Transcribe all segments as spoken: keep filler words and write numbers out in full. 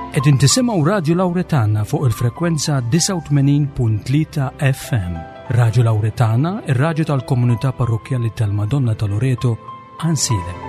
Qegħdin tisimgħu Radju Lawretana fuq il-frekwenza disgħa u tmenin punt tlieta F M. Radju Lawretana, ir-radju tal-komunità parrokkjali tal-Madonna ta' Loreto, Għajnsielem.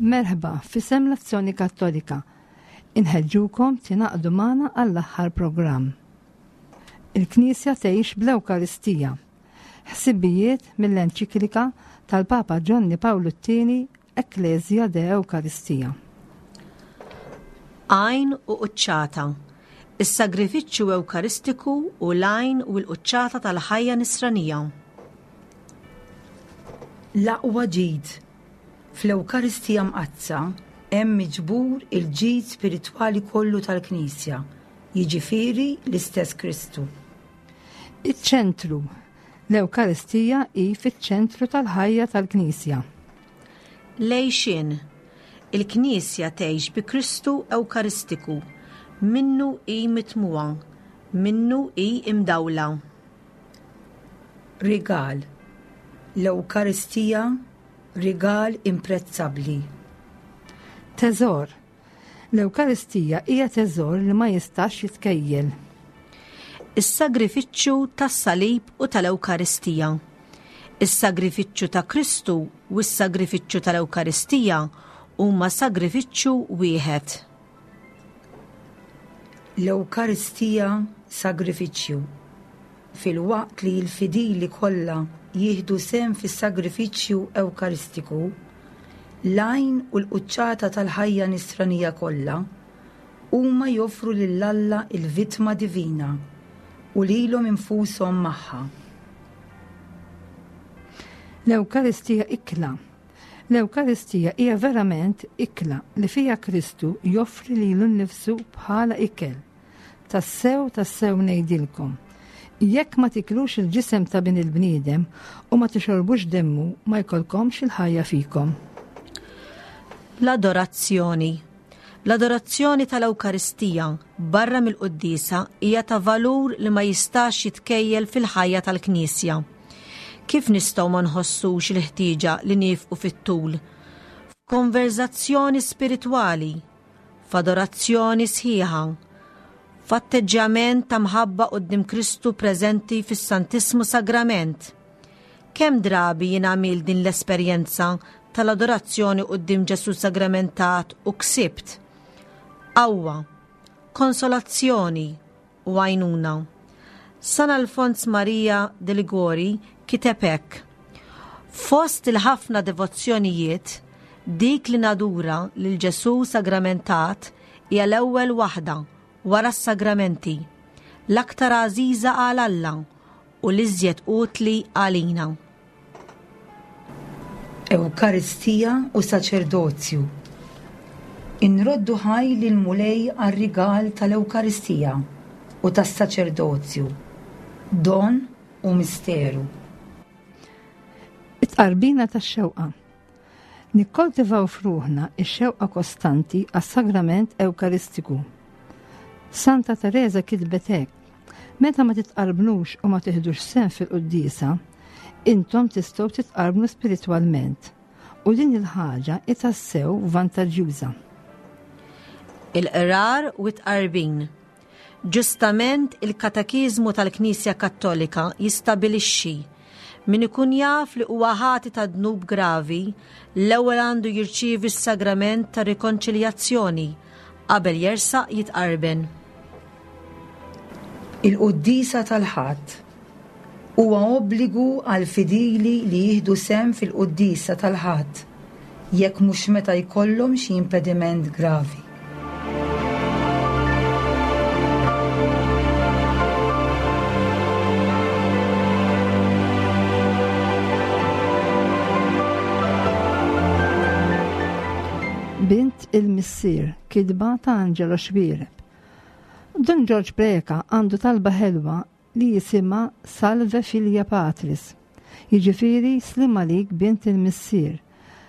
Merħba f'isem l-Azzjoni Kattolika. Inħeġġukom tingħaqdu magħna għall-aħħar programm. Il-Knisja tgħix bl-Ewkaristija. Ħsibijiet mill-enċiklika tal-Papa Ġwanni Pawlu t-tieni Ecclesia de Eucharistia. Għajn u quċċata. Is-sagrifiċċju Ewkaristiku u l-għajn u l-quċċata tal-ħajja nisranija. L-aqwa ġid. Fl-Ewkaristija Mqaddsa hemm miġbur il-ġid spiritwali kollu tal-Knisja, jiġifieri l-istess Kristu. Iċ-ċentru. L-Ewkaristija hi fiċ-ċentru tal-ħajja tal-Knisja. Lejxin. Il-Knisja tgħix bi Kristu Ewkaristiku, minnu hi mitmuha, minnu hi imdawla. Rigal. L-Ewkaristija rigal imprezzabbli. Teżor. L-Ewkaristija hija teżor li ma jistax jitkejjel. Is-sagrifiċċju tas-salib u tal-Ewkaristija. Is-sagrifiċċju ta' Kristu u s-sagrifiċċju tal-Ewkaristija huma sagrifiċċju wieħed. L-Ewkaristija sagrifiċċju. Filwaqt li l-fidili kollha jieħdu sehem fis-sagrifiċċju Ewkaristiku, l-għajn u l-quċċata tal-ħajja nisranija kollha huma joffru lil Alla l-vittma divina u lilhom infushom magħha. L-Ewkaristija ikla. L-Ewkaristija hija verament ikla li fiha Kristu joffri lilu nnifsu bħala ikel. Tassew, tassew ngħidilkom, jekk ma tiklux il-ġisem ta' bin il-bniedem u ma tixorbux demmu, ma jkollkomx il-ħajja fikom. L-adorazzjoni. L-adorazzjoni tal-Ewkaristija barra mill-quddiesa hija ta' valur li ma jistax jitkejjel fil-ħajja tal-Knisja. Kif nistgħu ma nħossux il-ħtieġa li niefqu fit-tul? F'konverzazzjoni spiritwali, f'adorazzjoni sħiħa, f'atteġġjament ta' mħabba quddiem Kristu preżenti fis-Santissmu Sagrament. Kemm drabi jien għamil din l-esperjenza tal-adorazzjoni quddiem Ġesù Sagramentat u ksibt qawwa, konsolazzjoni u għajnuna. San Alfons Maria de Liguori kiteb hekk: Fost il-ħafna devozzjonijiet, dik li nadura lil Ġesù Sagramentat hija l-ewwel waħda wara s-sagramenti, l-aktar għażiża għal Alla u l-iżjed utli għalina. Ewkaristija u saċerdozju. Inroddu ħaj lil Mulej għar-rigal tal-Ewkaristija u tas-saċerdozju, don u misteru. It-tqarbina tax-xewqa. Nikkoltivaw f'ruħna ix-xewqa kostanti għas-sagrament Ewkaristiku. Santa Teresa kitbet hekk: meta ma titqarbnux u ma tiħdux sehem fil-quddiesa, intom tistgħu titqarbnu spiritwalment, u din il-ħaġa hi tassew vantaġġjuża. Il-qrar u t-tqarbin. Ġustament il-Katekiżmu tal-Knisja Kattolika jistabilixxi Min ikun jaf li huwa ħati ta' dnub gravi, l-ewwel għandu jirċievi s-sagrament ta' rikonċiljazzjoni qabel jersaq jitqarben. Il-Quddiesa tal-Ħadd. Huwa obbligu għall-fidili li jieħdu sehem fil-Quddiesa tal-Ħadd, jekk mhux meta jkollhom xi impediment gravi. Bint il-Missier, kitba ta' Angelo Xuereb. Dun Ġorġ Preca għandu talba ħelwa li jisimha Salve Filia Patris, jiġifieri sliem għalik bint il-Missier.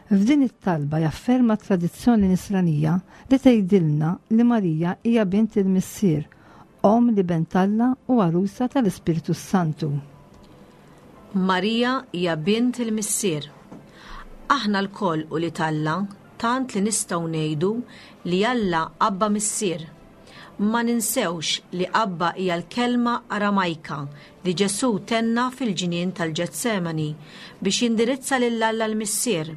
F'din it-talba jafferma tradizzjoni nisranija li tgħidilna li Marija hija bint il-Missier, omm l-Iben t'Alla u għarusa tal-Ispirtu Santu. Marija hija bint il-Missier. Aħna lkoll ulied Alla, tant li nistgħu ngħidu li Alla Abba Missier. Ma ninsewx li Abba hija l-kelma Aramajka li Ġesù tenna fil-ġnien tal-Ġetsemani biex jindirizza lil Alla l-Missier.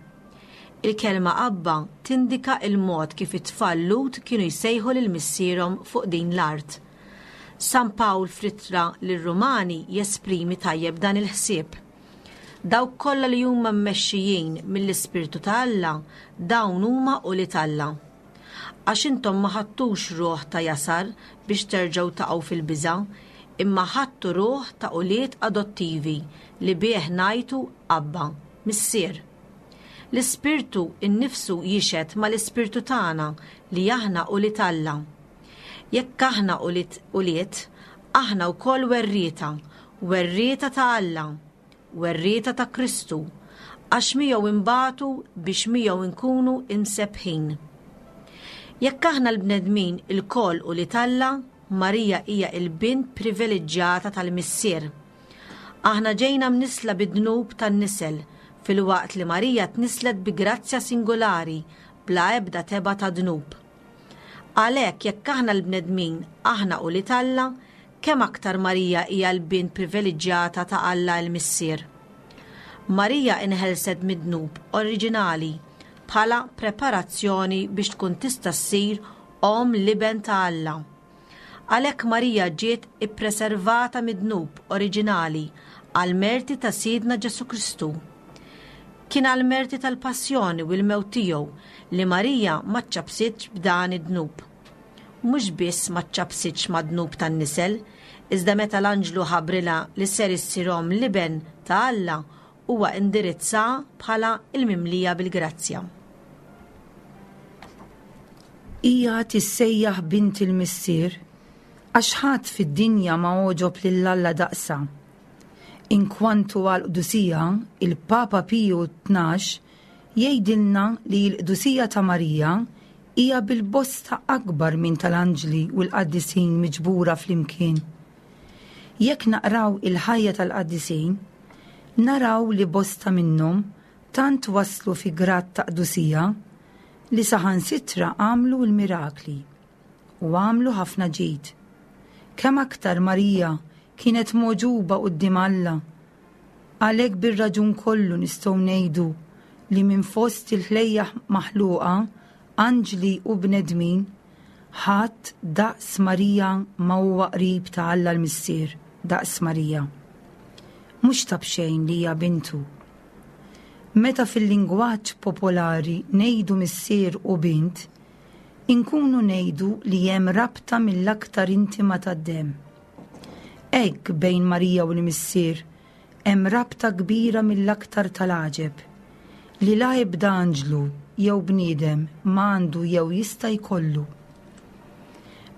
Il-kelma Abba tindika il-mod kif it-tfal Lhud kienu jsejħu lil missierhom fuq din l-art. San Pawl fl-ittra lir-Rumani jesprimi tajjeb dan il-ħsieb. Dawk kollha li huma mmexxijin mill-Ispirtu ta' Alla, dawn huma ulied Alla. Għax intom ma ħadtux ruħ ta' jasar biex terġgħu taqgħu fil-biża', imma ħadtu ruħ ta' ulied adottivi li bih ngħidu Abba, Missier. L-Ispirtu innifsu jixhed mal-Ispirtu tagħna li aħna ulied Alla. Jekk aħna ulied ulied, aħna wkoll werrieta, werrieta ta' Alla, werrieta ta' Kristu, għax miegħu imbatu biex miegħu nkunu imsebbħin. Jekk aħna l-bnedmin ilkoll ulied Alla, Marija hija l-bint privileġġjata tal-Missier. Aħna ġejna mnisla bid-dnub tan-nisel, filwaqt li Marija tnislet bi grazzja singolari bla ebda teba ta' dnub. Għalhekk jekk aħna l-bnedmin aħna ulied Alla, kemm aktar Marija hija l-bint privileġġjata ta' Alla l-Missier. Marija inħelset mid-dnub oriġinali bħala preparazzjoni biex tkun tista' ssir omm l-Iben ta' Alla. Għalhekk Marija ġiet ippreservata mid-dnub oriġinali għal merti ta' Sidna Ġesù Kristu. Kien għal merti tal-passjoni u l-mewt tiegħu li Marija ma ċċabsitx b'dan id-dnub. Mhux biss ma ċċabsitx mad-dnub tan-nisel, iżda meta l-anġlu ħabrilha li ser issir omm l-Iben ta' Alla, huwa indirizza bħala il-mimlija bil-grazzja. Hija tissejjaħ bint il-Missier għax ħadd fid-dinja ma għoġob lil Alla daqsa. Inkwantu għall-qdusija, il-Papa Piju tnax jgħidilna li l-qdusija ta' Marija hija bil-bosta akbar minn tal-anġli u l-qaddisin miġbura flimkien. Jekk naqraw il-ħajja tal-qaddisin, naraw li bosta minnhom tant waslu fi grad ta' qdusija li saħansitra għamlu l-mirakli u għamlu ħafna ġid. Kemm aktar Marija kienet mogħġuba quddiem Alla, għalhekk bir-raġun kollu nistgħu ngħidu li minn fost il-ħlejjaħ maħluqa, anġli u bnedmin, ħadd daqs Marija ma huwa qrib ta' Alla l-Missier, daqs Marija. Mhux ta' b'xejn li hija bintu. Meta fil-lingwaġġ popolari ngħidu missier u bint, inkunu ngħidu li hemm rabta mill-aktar intima tad-demm. Hekk bejn Marija u l-Missier hemm rabta kbira mill-aktar tal-għaġeb, li la ebda anġlu jew bniedem ma għandu jew jista' jkollu.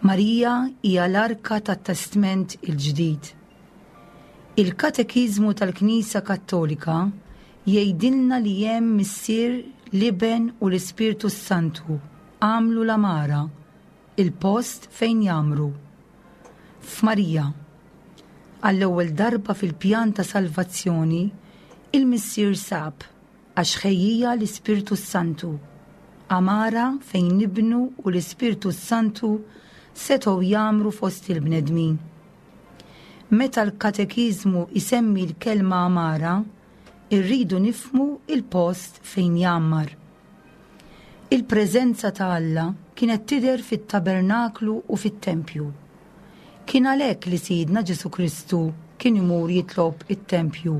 Marija hija l-arka tat-Testment il-Ġdid. Il-Katekiżmu tal-Knisja Kattolika jgħidilna li hemm Missier, l-Iben u l-Ispirtu Santu għamlu l-għamara, il-post fejn jagħmru. F'Marija, għall-ewwel darba fil-pjan ta' salvazzjoni, il-Missier sab għax ħejjija l-Ispirtu Santu, għamara fejn nibnu u l-Ispirtu Santu setgħu jagħmru fost il-bnedmin. Meta l-katekiżmu jsemmi l-kelma għamara, irridu nifhmu il-post fejn jgħammar. Il-preżenza ta' Alla kienet tidher fit-tabernaklu u fit-tempju. Kien għalhekk li Sidna Ġesù Kristu kien imur jitlob it-tempju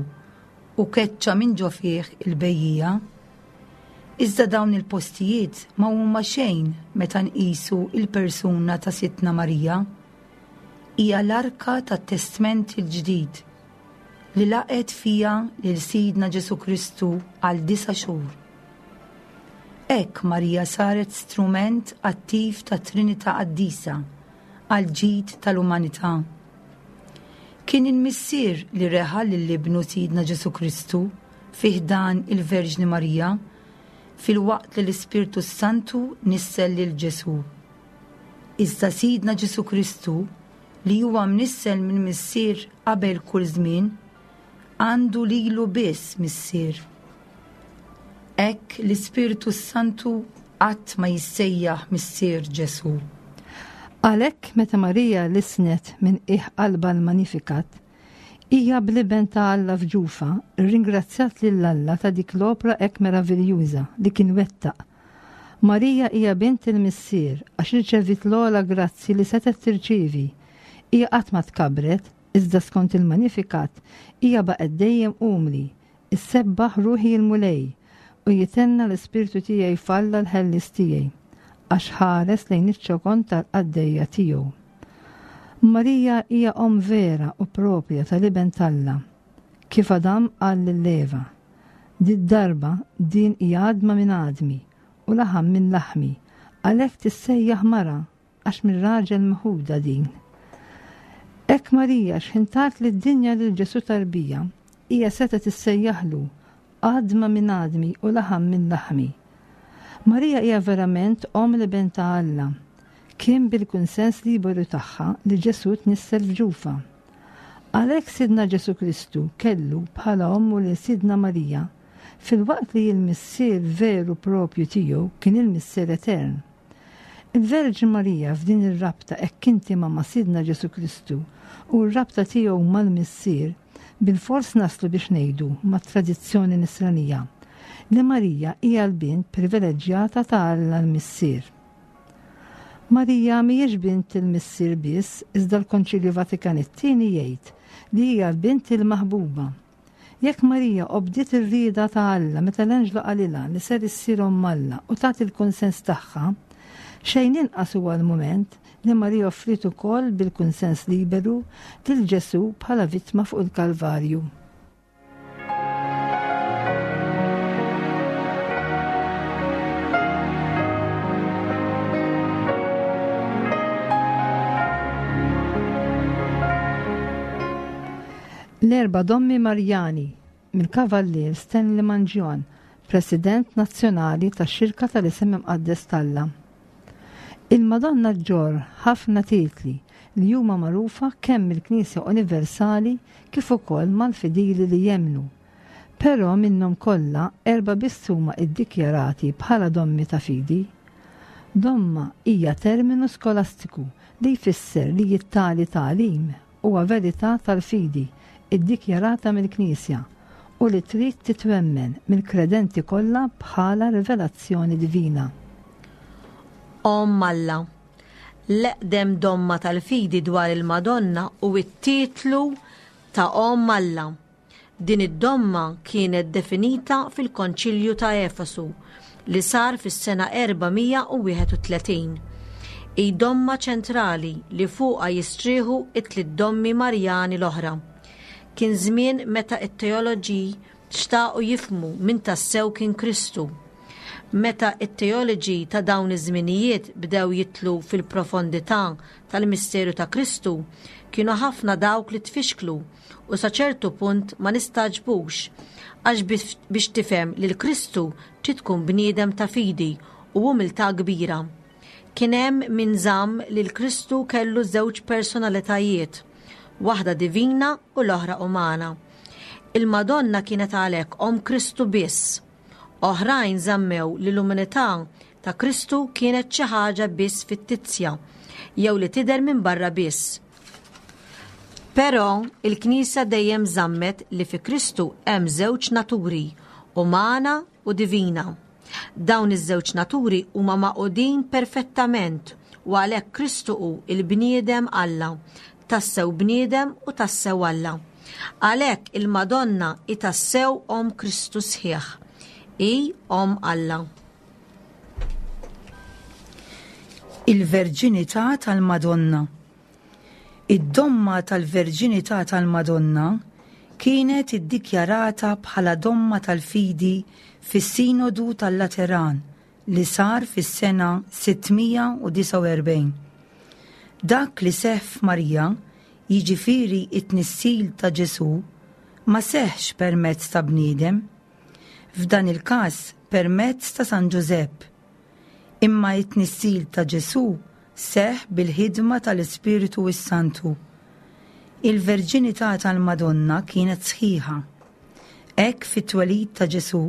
u keċċa minn ġo fih il-bejjiegħa. Iżda dawn il-postijiet ma huma xejn meta nqisu il-persuna ta' Sidtna Marija. Hija l-arka tat-Testment il-Ġdid li laqgħet fiha lil Sidna Ġesù Kristu għal disa' xhur. Hekk Marija saret strument attiv ta' Trinità Qaddisa għal ġid tal-umanità. Kien il-Missier li reħa lil ibnu Sidna Ġesù Kristu fi ħdan il-Verġni Marija, filwaqt li l-Ispirtu Santu nissel lil Ġesù. Iżda Sidna Ġesù Kristu, li huwa mnissel minn Missier qabel kull żmien, għandu lilu biss Missier. Hekk l-Ispirtu Santu qatt ma jissejjaħ Missier Ġesù. Għalhekk meta Marija lissnet minn qiegħ qalbha l-Magnificat, hija bl-iben ta' Alla f'ġufha rringrazzjat lil Alla ta' dik l-opra hekk meraviljuża li kien wettaq. Marija hija bint il-Missier għax irċevit l-ogħla grazzi li setgħet tirċievi. Hija qatt ma tkabret, iżda skont il-Magnificat hija baqgħet dejjem umli, issebbaħ ruħi l-Mulej u jitenna l-ispirtu tiegħi f'Alla l-ħellis tiegħi, għax ħares lejn iċ-ċokon tal-qaddejja tiegħu. Marija hija omm vera u propja tal-iben t'Alla, kif Adam qal lil Eva. Did-darba din hija għadma minn għadmi u laħam minn laħmi, għalhekk tissejjaħ mara għax mir-raġel meħuda din. Hekk Marija x'ħin tat lid-dinja lil Ġesù tarbija, hija setgħet tissejjaħlu għadma minn għadmi u laħam minn laħmi. Marija hija verament omm l-iben ta' Alla. Kien bil-kunsens liberu tagħha li Ġesù tnissel f'ġufha. Għalhekk Sidna Ġesù Kristu kellu bħala ommu lil Sidna Marija, filwaqt li l-Missier veru propju tiegħu kien il-Missier Etern. Il-Verġni Marija f'din ir-rabta hekk intima ma' Sidna Ġesù Kristu u r-rabta tiegħu mal-Missier, bilfors naslu biex ngħidu mat-tradizzjoni nisranija li Marija hija l-bint privileġġjata ta' Alla l-Missier. Marija mhijiex bint il-Missier biss, iżda l-Konċilju Vatikan it-tieni jgħid li hija l-bint il-maħbuba. Jekk Marija obdiet ir-rieda ta' Alla meta l-anġlu qalilha li ser issir omm Alla u tagħti l-kunsens tagħha, xejn inqas huwa l-mument li Marija offriet ukoll bil-kunsens liberu lil Ġesù bħala vittma fuq il-Kalvarju. L-erba' dommi Marjani mill-Kavallier Stanley Mangion, President Nazzjonali tax-Xirka tal-Isem Imqaddes t'Alla. Il-Madonna ġġorr ħafna titli li huma magħrufa kemm mill-Knisja Universali kif ukoll mal-fidili li jemmnu. Però minnhom kollha erba' biss huma iddikjarati bħala dommi ta' fidi. Domma hija terminu skolastiku li jfisser li t-tali tagħlim huwa verità tal-fidi iddikjarata mill-Knisja u li trid titwemmen mill-kredenti kollha bħala rivelazzjoni divina. Omm Alla. L-eqdem domma tal-fidi dwar il-Madonna u t-titlu ta' Omm Alla. Din id-domma kienet definita fil-Konċilju ta' Efesu li sar fis-sena erba' mija u wieħed u tletin. Hi domma ċentrali li fuqha jistrieħu it-tliet dommi Marjani l-oħra. Kien żmien meta t-teoloġi xtaqu jifhmu min tassew kien Kristu. Meta t-teoloġi ta' dawn iż-żminijiet bdew jitlu fil-profondità tal-misteru ta' Kristu, kienu ħafna dawk li tfixklu u sa ċertu punt ma nistagħġbux, għax biex tifhem lil Kristu trid tkun bniedem ta' fidi u umiltà kbira. Kien hemm min żamm li l-Kristu kellu żewġ personalitajiet, waħda divina u l-oħra umana. Il-Madonna kienet għalhekk omm Kristu biss. Oħrajn żammew li l-umanità ta' Kristu kienet xi ħaġa biss fittizja, jew li tidher minn barra biss. Però il-Knisja dejjem żammet li fi Kristu hemm żewġ naturi, umana u divina. Dawn iż-żewġ naturi huma magħqudin perfettament u għalhekk Kristu hu il-bniedem Alla, tassew bniedem u tassew Alla. Għalhekk il-Madonna hi tassew Omm Kristu sħiħ, hi Omm Alla. Il-Verġinità tal-Madonna. Id-domma tal-Verġinità tal-Madonna kienet iddikjarata bħala domma tal-fidi fis-Sinodu tal-Lateran li sar fis-sena sitt mija u disgħa u erbgħin. Dak li seħħ f'Marija, jiġifieri it-tnissil ta' Ġesù, ma seħħx permezz ta' bniedem, f'dan il-każ permezz ta' San Ġużepp. Imma it-tnissil ta' Ġesù seħħ bil-ħidma tal-Ispiritu s-Santu. Il-verġinità tal-Madonna kienet sħiħa. Hekk fit-twelid ta' Ġesù,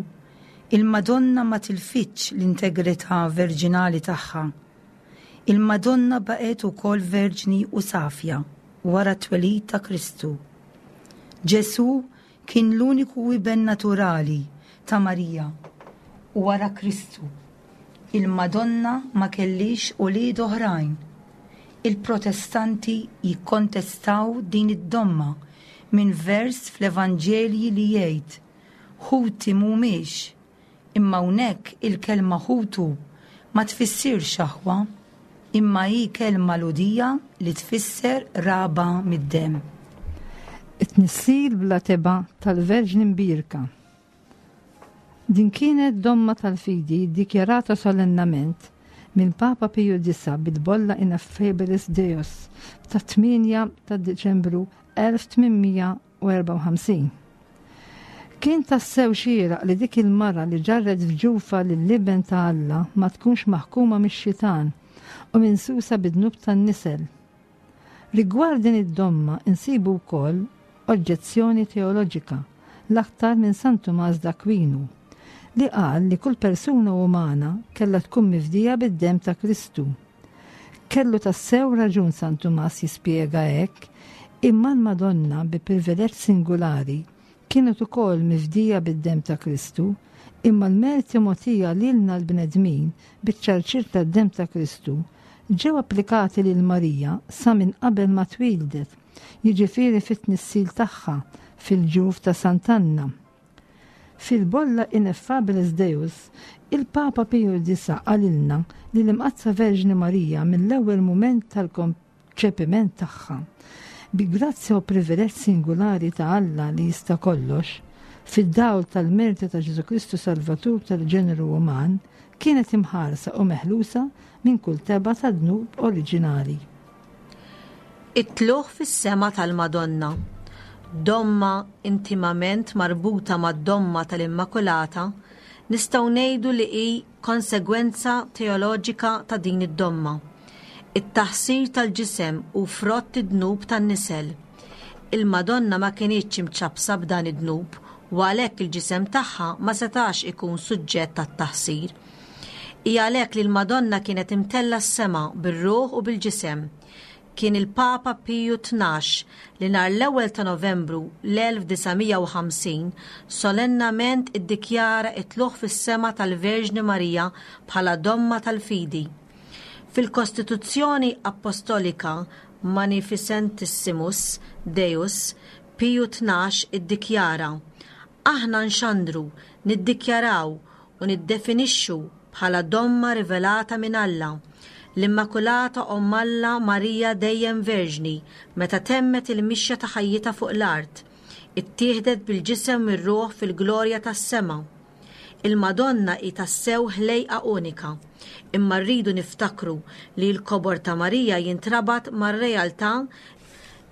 il-Madonna ma tilfitx l-integrità verġinali tagħha. Il-Madonna baqgħet ukoll verġni u safja wara t-twelid ta' Kristu. Ġesù kien l-uniku iben naturali ta' Marija u wara Kristu. Il-Madonna ma kellix ulied oħrajn. Il-Protestanti jikkontestaw din id-domma minn vers fl-Evanġelji li jgħid ħuti mhumiex, imma hawnhekk il-kelma ħutu ma tfissirx aħwa, imma hi kelma Lhudija li tfisser raba mid-demm. It-tnissil bla tebgħa tal-Verġni Mbierka. Din kienet domma tal-fidi dikjarata solennament minn Papa Piju Disa bil-bolla Ineffabilis Deus ta' tmienja ta' Diċembru elf tmien mija u erbgħa u ħamsin. Kien tassew xieraq li dik il-mara li ġarret f'ġufa lill-iben ta' Alla ma tkunx maħkuma mix-xitan u minsusa bid-dnub tan-nisel. Rigward din id-domma insibu wkoll oġġezzjoni teoloġika l-aktar minn San Tumas d'Aquinu li qal li kull persuna umana kellha tkun mifdija bid-dem ta' Kristu. Kellu tassew raġun San Tumas jispjega hekk, imma l-Madonna bi privileġġ singolari kienet ukoll mifdija bid-dem ta' Kristu, imma l-merti mogħtija lilna l-bnedmin biċ-ċarċir tad-dem ta' Kristu ġew applikati lil Marija sa minn qabel ma twildet, jiġifieri fit-tnissil tagħha fil-ġuf ta' Sant'Anna. Fil-bolla Ineffabilis Deus, il-Papa Piju Disa qalilna li l-Imqaddsa Verġni Marija mill-ewwel mument tal-konċepiment tagħha, bi grazzja u privileġġ singolari ta' Alla li jista' kollox, fid-dawl tal-merti ta' Ġesù Kristu Salvatur tal-ġeneru uman, kienet imħarsa u meħlusa minn kull tebgħa ta' dnub oriġinali. It-tlugħ fis-sema tal-Madonna, domma intimament marbuta mad-domma tal-Immakulata, nistgħu ngħidu li hi konsegwenza teoloġika ta' din id-domma. It-taħsir tal-ġisem u frott id-dnub tan-nisel. Il-Madonna ma kinitx imċappsa b'dan id-dnub u għalhekk il-ġisem tagħha ma setax ikun suġġett tat-taħsir. Hija għalhekk li l-Madonna kienet imtella s-sema bir-ruħ u bil-ġisem. Kien il-Papa Piju Tnax li nhar l-ewwel ta' Novembru l-elf disa' mija u ħamsin solennament iddikjara it-tlugħ fis-sema tal-Verġni Marija bħala domma tal-fidi. Fil-Kostituzzjoni Apostolika Magnificentissimus Deus, Piju Tnax iddikjara: Aħna nxandru, niddikjaraw u niddefinixxu bħala domma rivelata minn Alla, l-Immakulata Omm Alla Marija dejjem Verġni, meta temmet il-mixja ta' ħajjitha fuq l-art, ittieħdet bil-ġisem mir-ruħ fil-glorja tas-sema. Il-Madonna hi tassew ħlejqa unika, imma rridu niftakru li l-kobor ta' Marija jintrabat mar-realtà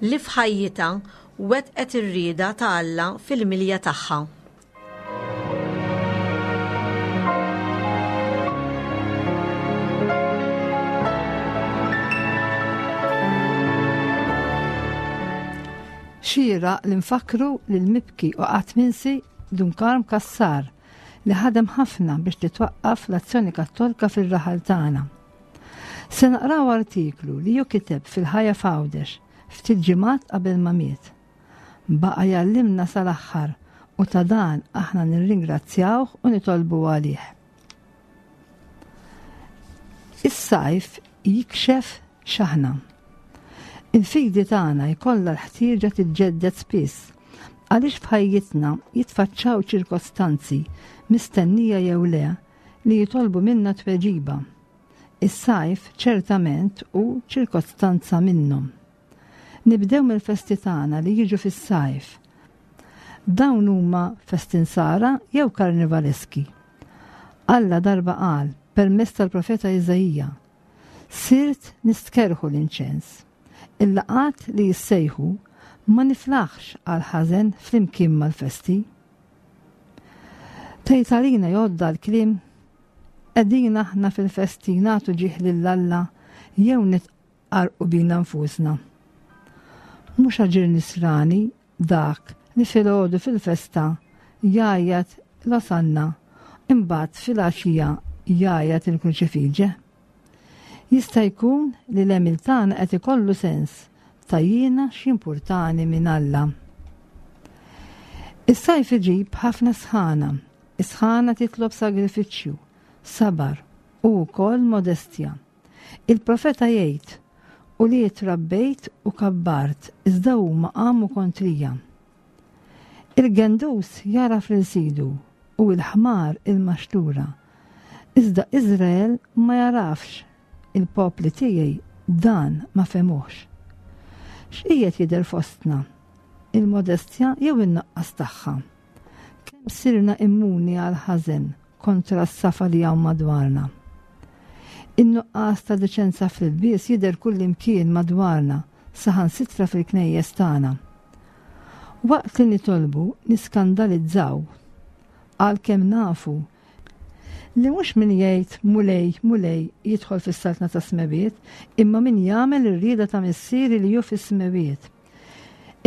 li f'ħajjitha wettqet ir-rieda ta' Alla fil-milja tagħha. Xieraq li nfakru lil mibki u qatt minsi Dun Karm Cassar li ħadem ħafna biex titwaqqaf l-Azzjoni Kattolika fir-raħal tagħna. Se naqraw artiklu li ju kiteb fil-Ħajja F'Għawdex ftit ġimgħat qabel ma miet. Baqa' jgħallimna sal-aħħar u ta' dan aħna nirringrazzjawh u nitolbu għalih. Is-sajf jikxef x'aħna. Il-fidi tagħna jkollha l-ħtieġa tiġġedded spiss għaliex f'ħajjitna jitfaċċaw ċirkostanzi mistennija jew le li jitolbu minna tweġiba. Is-sajf ċertament hu ċirkostanza minnhom. Nibdew mill-festi tagħna li jiġu fis-sajf. Dawn huma festi nsara jew karnivaleski. Alla darba qal permezz tal-profeta Iżaija, sirt nistkerrħu l-inċens. Il-laqgħat li jissejħu ma niflaħx għal ħażen flimkien mal-festi. Tgħid għalina jgħodda l-kliem qegħdin aħna fil-festi nagħtu ġieħ lil Alla jew nitqarrqu bina nfusna. Mhux aġir nisrani dak li filgħodu fil-festa jgħajjat l-Osanna imbagħad filgħaxija jgħajjat il-Kruċifiġe. Jista' jkun li l-għemil tagħna qed ikollu sens ta' jiena x'jimpurtani minn Alla. Is-sajf iġib ħafna sħana. Is-sħana titlob sagrifiċċju, sabar u wkoll modestja. Il-profeta jgħid, u li trabbejt u kabbart, iżda huma qamu kontrija. Il-gendus jagħraf lil sidu u l-ħmar il-maxtura. Iżda Iżrael ma jagħrafx, il-popli tiegħi dan ma fehmuhx. X'qiegħed jidher fostna? Il-modestja jew in-nuqqas tagħha? Kemm sirna immuni għal ħażen kontra s-safa li hawn madwarna? In-nuqqas ta' deċenza fl-ilbies jidher kullimkien madwarna, saħansitra fil-knejjes tagħna. Waqt li nitolbu niskandalizzaw, għalkemm nafu li mhux min jgħid Mulej, Mulej jidħol fis-saltna tas-smewiet, imma min jagħmel ir-rieda ta' Missieri li hu fis-smewiet.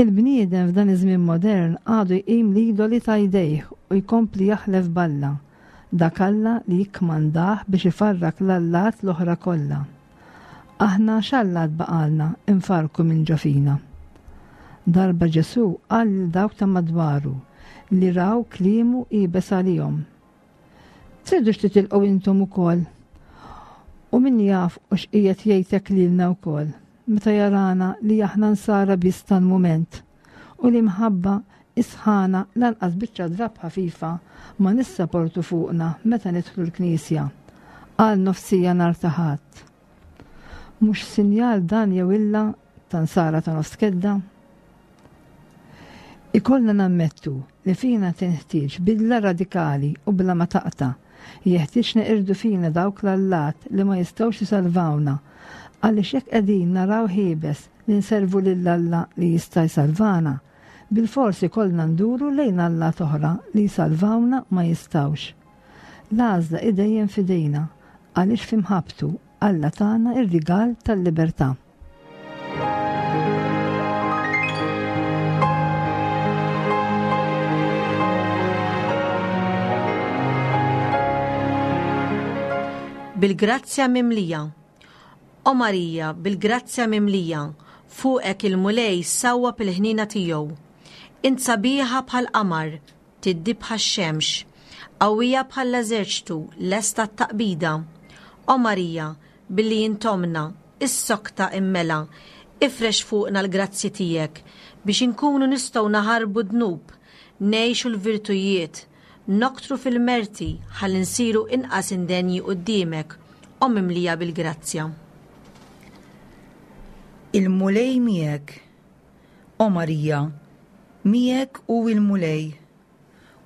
Il-bniedem f'dan iż-żmien modern għadu jqim l-idoli ta' jdejh u jkompli jaħlef b'Alla, dak Alla li jikkmandah biex ifarrak l-allat l-oħra kollha. Aħna x'allat baqalna nfarku minn ġo fina. Darba Ġesù qal lil dawk ta' madwaru li raw kliemu iebes għalihom. Tridux titilqu intom ukoll? U min jaf u x'qiegħed jgħidlek lilna wkoll meta jarana li aħna nsara biss tal-mument u li mħabba isħana lanqas biċċa drab ħafifa ma nissaportu fuqna meta nidħlu l-knisja għal nofsija nhar ta' Ħadd. Mhux sinjal dan jew illa ta' nsara ta' nofs kedda? Ikollna nammettu li fina tinħtieġ bidla radikali u bla ma taqta'. Jeħtieġ neqirdu fina dawk l-allat li ma jistgħux isalvawna, għaliex jekk qegħdin naraw ħiebes li nservu lil Alla li jista' jsalvana, bilfors ikollna nduru lejn allat oħra li jsalvawna ma jistgħux. L-għażla hi dejjem f'idejna, għaliex f'imħabbtu Alla tana ir-rigal tal-libertà. Bil-grazzja mimlija. O Marija, bil-grazzja mimlija, fuqek il-Mulej sawwab il-ħniena tiegħu. Int sabiħa bħal qamar, tiddi bħax-xemx, qawwija bħall-eżerċtu, lesta t-taqbida. O Marija, billi intomna, is-sokta immela, ifrex fuqna l-grazzji tiegħek biex inkunu nistgħu naħarbu dnub, ngħixu l-virtujiet, noktru fil-merti ħalli nsiru inqas indenji quddiemek, o mimlija bil-grazzja. Il-Mulej miegħek. O Marija, miegħek hu il-Mulej.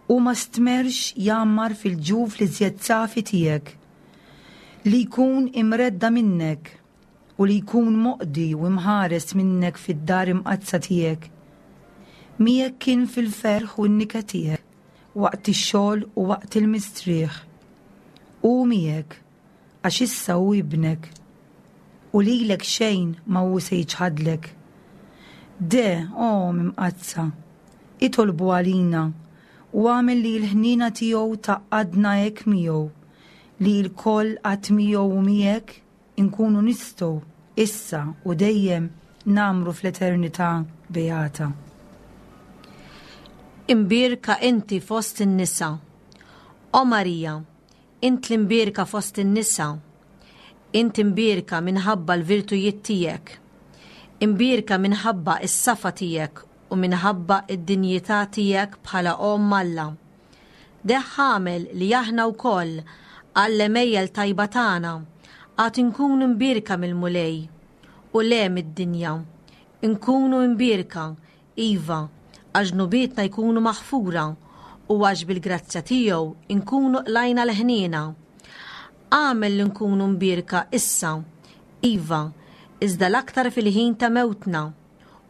U ma stmerx jgħammar fil-ġuf li żjed safi tiegħek, li jkun imredda minnek u li jkun moqdi u imħares minnek fid-dar imqaddsa tiegħek. Miegħek kien fil-ferħ u n-niket tiegħek, waqt ix-xogħol u waqt il-mistrieħ. Hu miegħek, għax issa hu ibnek, u lilek xejn ma hu se jiċħadlek. De, o Imqaddsa, itolbu għalina u għamel li l-ħniena tiegħu tgħaqqadna hekk miegħu, li lkoll qatt miegħu u miegħek inkunu nistgħu issa u dejjem ngħammru fl-eternità beata. Imbierka inti fost in-nisa. O Marija, int l-imbierka fost in-nisa. Int imbierka minħabba l-virtujiet tiegħek. Imbierka minħabba s-safa tiegħek u minħabba id-dinjità tiegħek bħala Omm Alla. Deh agħmel li aħna wkoll għall-għemejjel tajba tagħna għad inkunu mbierka mill-Mulej u le mid-dinja. Inkunu mbierka, iva, għax dnubietna jkunu maħfura u għax bil-grazzja tiegħu nkunu qlajna l-ħniena. Agħmel li nkunu mbierka issa, iva, iżda l-aktar fil-ħin ta' mewtna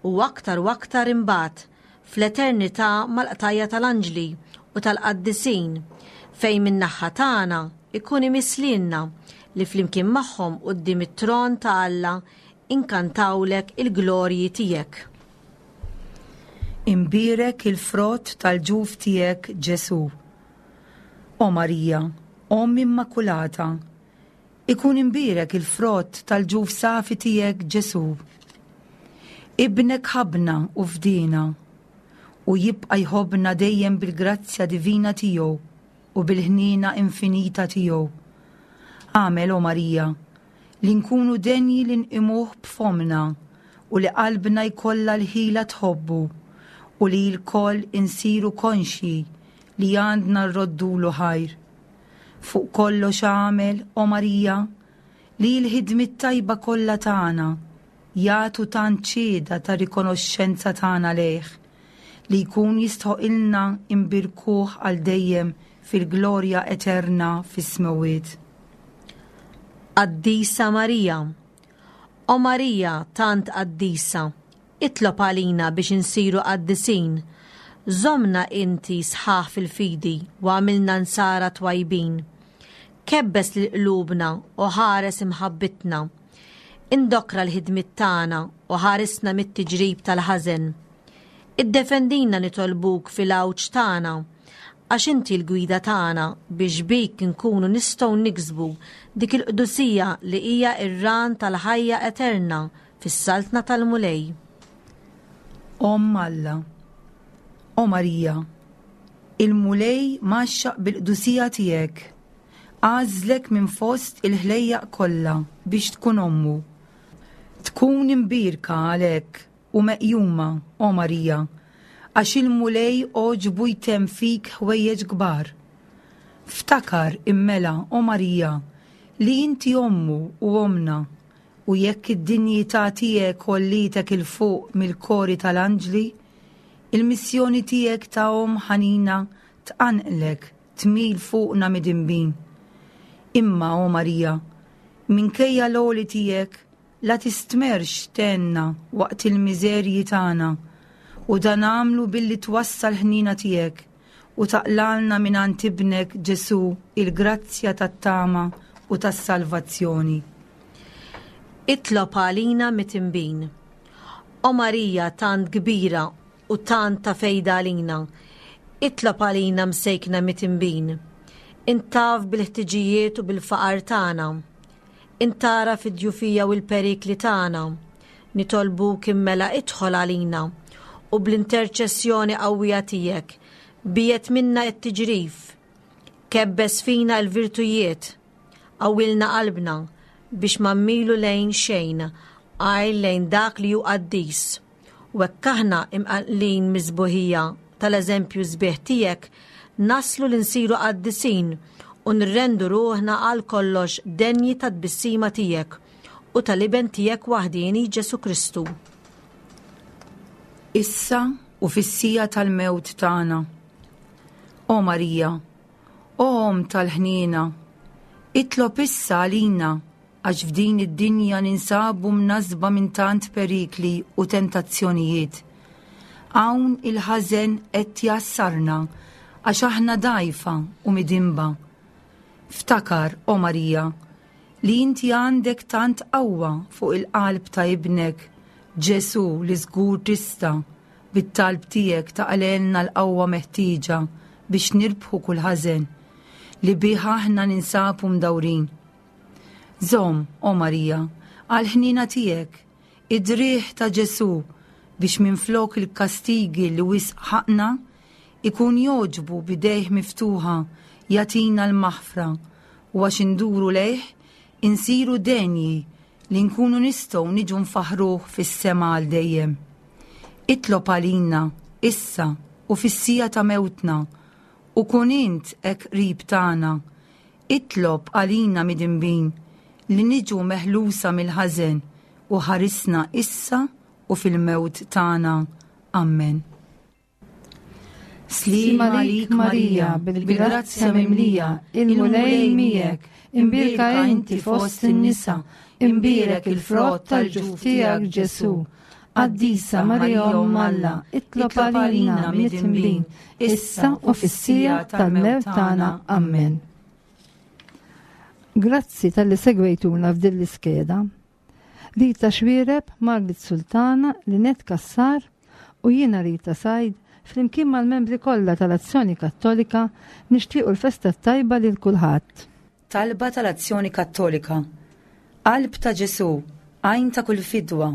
u aktar u aktar imbagħad fl-eternità mal-qtajja tal-anġli u tal-qaddisin fejn min-naħa tagħna ikun imiss lilna li flimkien magħhom quddiem it-tron ta' Alla inkantawlek il-glorji tiegħek. Imbierek il-frott tal-ġuf tiegħek Ġesù. O Marija, Omm Immakulata, ikun imbierek il-frott tal-ġuf safi tiegħek Ġesù. Ibnek ħabbna u fdina, u jibqa' jħobbna dejjem bil-grazzja divina tiegħu u bil-ħniena infinita tiegħu. Agħmel, o Marija, li nkunu denji li nqimuh b'fomna u li qalbna jkollha l-ħila tħobbu u li lkoll insiru konxji li għandna rroddulu ħajr. Fuq kollox agħmel, o Marija, li l-ħidmiet tajba kollha tagħna jagħtu tant xhieda ta' rikonoxxenza tagħna lejh li jkun jistħoqilna imbirkuh għal dejjem fil-glorja eterna fis-smewwiet. Qaddisa Marija, O Marija tant qaddisa, itlob għalina biex insiru qaddisin. Żommna inti sħaħ fil-fidi u agħmilna nsara twajbin. Kebbes lil qlubna u ħares imħabbitna. Indokra l-ħidmiet tagħna u ħarisna mit-tiġrib tal-ħażen. Iddefendina nitolbuk fil-għawġ tagħna, għax inti l-gwida tagħna biex bik nkunu nistgħu niksbu dik il-qdusija li hija r-ran tal-ħajja eterna fis-saltna tal-Mulej. Omm Alla, O Marija, il-Mulej mgħaxxaq bil-qdusija tiegħek, għażlek minn fost il-ħlejjaq kollha biex tkun ommu. Tkun imbierka għalhekk u meqjuma, o Marija, għax il-Mulej għoġbu jtemm fik ħwejjeġ kbar. Ftakar immela, o Marija, li inti ommu u omna, u jekk id-dinjità tiegħek għollietek 'il fuq mill-kori tal-anġli, il-missjoni tiegħek ta' omm ħanina tqanqlek tmil fuqna midinbin. Imma, o Marija, minkejja l-għoli tiegħek, la tistmerx tgħinna waqt il-miżerji tagħna, u dan agħmlu billi twassal ħnina tiegħek u taqlalna mingħand ibnek Ġesù il-grazzja tat-tama u tas-salvazzjoni. Itlob għalina midinbin. O Marija tant kbira u tant ta' fejda għalina, itlob għalina msejkna midinbin. Int taf bil-ħtiġijiet u bil-faqar tagħna. Int tara fid-djufija u l-perikli tagħna. Nitolbuk immela idħol għalina u bl-interċessjoni qawwija tiegħek biegħed minna t-tiġrif. Kebbes fina l-virtujiet, qawwilna qalbna biex ma mmilu lejn xejn, għajr lejn dak li hu qaddis. U hekk aħna imqanqlin mis-sbuħija tal-eżempju sbieħ tiegħek, naslu li nsiru qaddisin u nrendu ruħna għal kollox denji tat-tbissima tiegħek u tal-iben tiegħek waħdieni Ġesù Kristu. Issa u fis-siegħa tal-mewt tagħna. O Marija, o Omm tal-ħniena, itlob issa għalina għax f'din id-dinja ninsabu mnassba minn tant perikli u tentazzjonijiet. Hawn il-ħażen qed jassarna għax aħna dgħajfa u midinba. Ftakar, o Marija, li inti għandek tant qawwa fuq il-qalb ta' ibnek Ġesù li żgur tista' bit-talb tiegħek taqlgħelna l-qawwa meħtieġa biex nirbħu kull ħażen li bih aħna ninsabu mdawrin. Żomm, o Marija, għall-ħniena tiegħek, Id-driegħ ta' Ġesù biex minflok il-kastigi li wisq ħaqna ikun jogħġbu b'idejh miftuħa jagħtina l-maħfra u għax induru lejh insiru denji li nkunu nistgħu niġu nfaħruh fis-sema għal dejjem. Itlob għalina issa u fis-siegħa ta' mewtna u kun int hekk qrib tagħna. Itlob għalina midinbin li niġu meħlusa mill-ħażen u ħarisna issa u fil-mewt tagħna. Ammen. Sliem għalik Marija, bil-grazzja mimlija, il-Mulej miegħek, imbierka inti fost in-nisa, imbierek il-frott tal-ġuf tiegħek Ġesù. Qaddisa Marija Omm Alla, itlob għalina midinbin, issa u fis-siegħa tal-mewt tagħna. Ammen. Grazzi talli segwejtuna f'din l-iskeda. Rita Xuereb, Margit Sultana, Linet Kassar u jiena Rita Said, flimkien mal-membri kollha tal-Azzjoni Kattolika nixtiequ l-festa tajba lil kulħadd. Talba tal-Azzjoni Kattolika. Qalb ta' Ġesù, għajn ta' kull fidwa,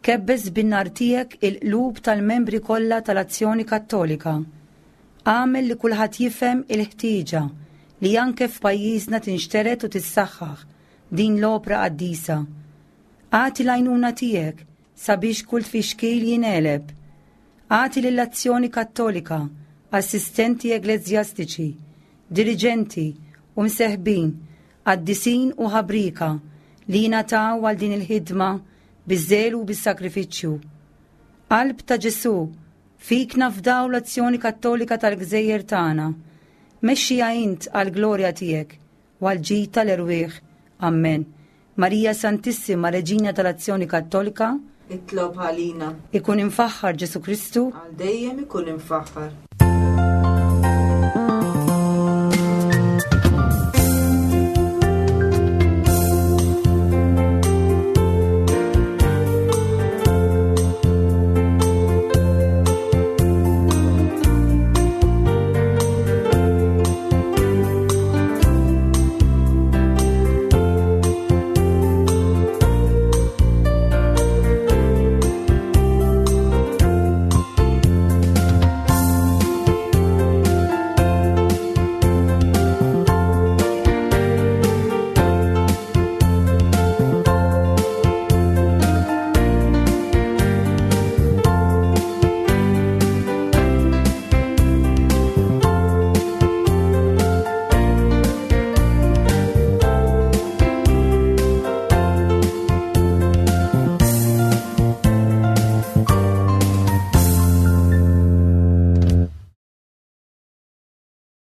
kebbes bin-nar tiegħek il-qlub tal-membri kollha tal-Azzjoni Kattolika. Agħmel li kulħadd jifhem il-ħtieġa li anke f'pajjiżna tinxtered u tissaħħaħ din l-opra qaddisa. Agħti l-għajnuna tiegħek sabiex kull tfixkil jingħeleb. Agħti lill-Azzjoni Kattolika, assistenti ekleżjastiċi, diriġenti u mseħbin, qaddisin u ħabrika li jingħataw għal din il-ħidma biż-żelu u bis-sakrifiċċju. Qalb ta' Ġesù, fik nafdaw l-Azzjoni Kattolika tal-Gżejjer tagħna. Mexxiha int għall-glorja tiegħek u għall-ġid tal-erwieħ. Ammen. Marija Santissima, Reġina tal-Azzjoni Kattolika, Itlob għalina. Ikun imfaħħar Ġesù Kristu. Għal dejjem ikun imfaħħar.